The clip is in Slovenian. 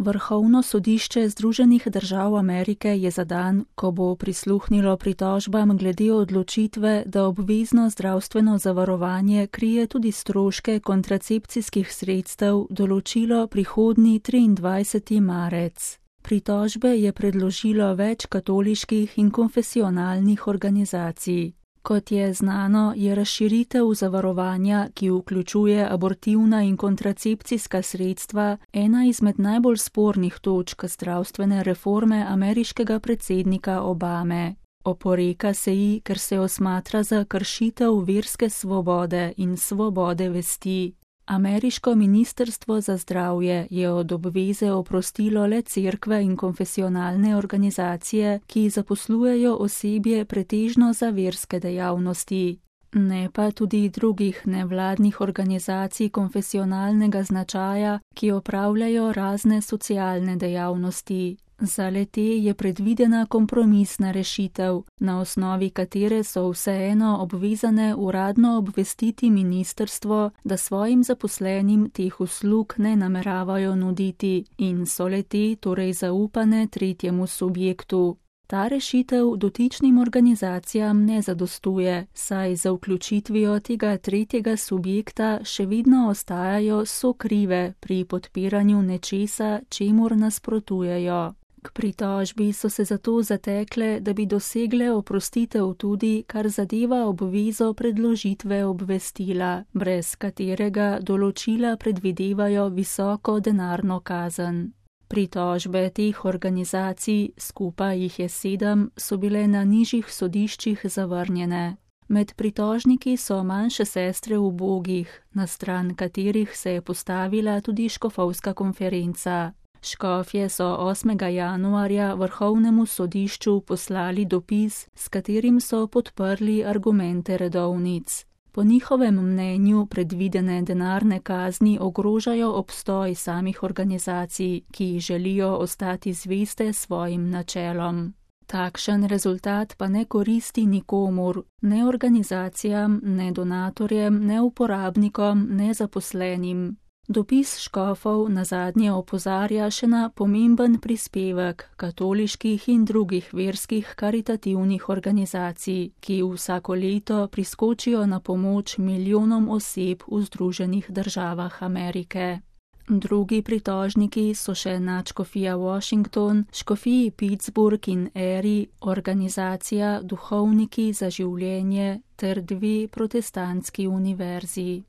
Vrhovno sodišče Združenih držav Amerike je za dan, ko bo prisluhnilo pritožbam glede odločitve, da obvezno zdravstveno zavarovanje krije tudi stroške kontracepcijskih sredstev, določilo prihodnji 23. marec. Pritožbe je predložilo več katoliških in konfesionalnih organizacij. Kot je znano, je razširitev zavarovanja, ki vključuje abortivna in kontracepcijska sredstva, ena izmed najbolj spornih točk zdravstvene reforme ameriškega predsednika Obame. Oporeka se ji, ker se jo smatra za kršitev verske svobode in svobode vesti. Ameriško ministrstvo za zdravje je od obveze oprostilo le cerkve in konfesionalne organizacije, ki zaposlujejo osebje pretežno za verske dejavnosti, ne pa tudi drugih nevladnih organizacij konfesionalnega značaja, ki opravljajo razne socialne dejavnosti. Za le-te je predvidena kompromisna rešitev, na osnovi katere so vseeno obvezane uradno obvestiti ministrstvo, da svojim zaposlenim teh uslug ne nameravajo nuditi in so le-te torej zaupane tretjemu subjektu. Ta rešitev dotičnim organizacijam ne zadostuje, saj za vključitvijo tega tretjega subjekta še vedno ostajajo sokrive pri podpiranju nečesa, čemur nasprotujejo. K pritožbi so se zato zatekle, da bi dosegle oprostitev tudi, kar zadeva obvezo predložitve obvestila, brez katerega določila predvidevajo visoko denarno kazen. Pritožbe teh organizacij, skupaj jih je 7, so bile na nižjih sodiščih zavrnjene. Med pritožniki so manjše sestre ubogih, na stran katerih se je postavila tudi škofovska konferenca. Škofje so 8. januarja Vrhovnemu sodišču poslali dopis, s katerim so podprli argumente redovnic. Po njihovem mnenju predvidene denarne kazni ogrožajo obstoj samih organizacij, ki želijo ostati zveste svojim načelom. Takšen rezultat pa ne koristi nikomur, ne organizacijam, ne donatorjem, ne uporabnikom, ne zaposlenim. Dopis škofov nazadnje opozarja še na pomemben prispevek katoliških in drugih verskih karitativnih organizacij, ki vsako leto priskočijo na pomoč milijonom oseb v Združenih državah Amerike. Drugi pritožniki so še nadškofija Washington, škofiji Pittsburgh in Erie, organizacija Duhovniki za življenje ter 2 protestantski univerzi.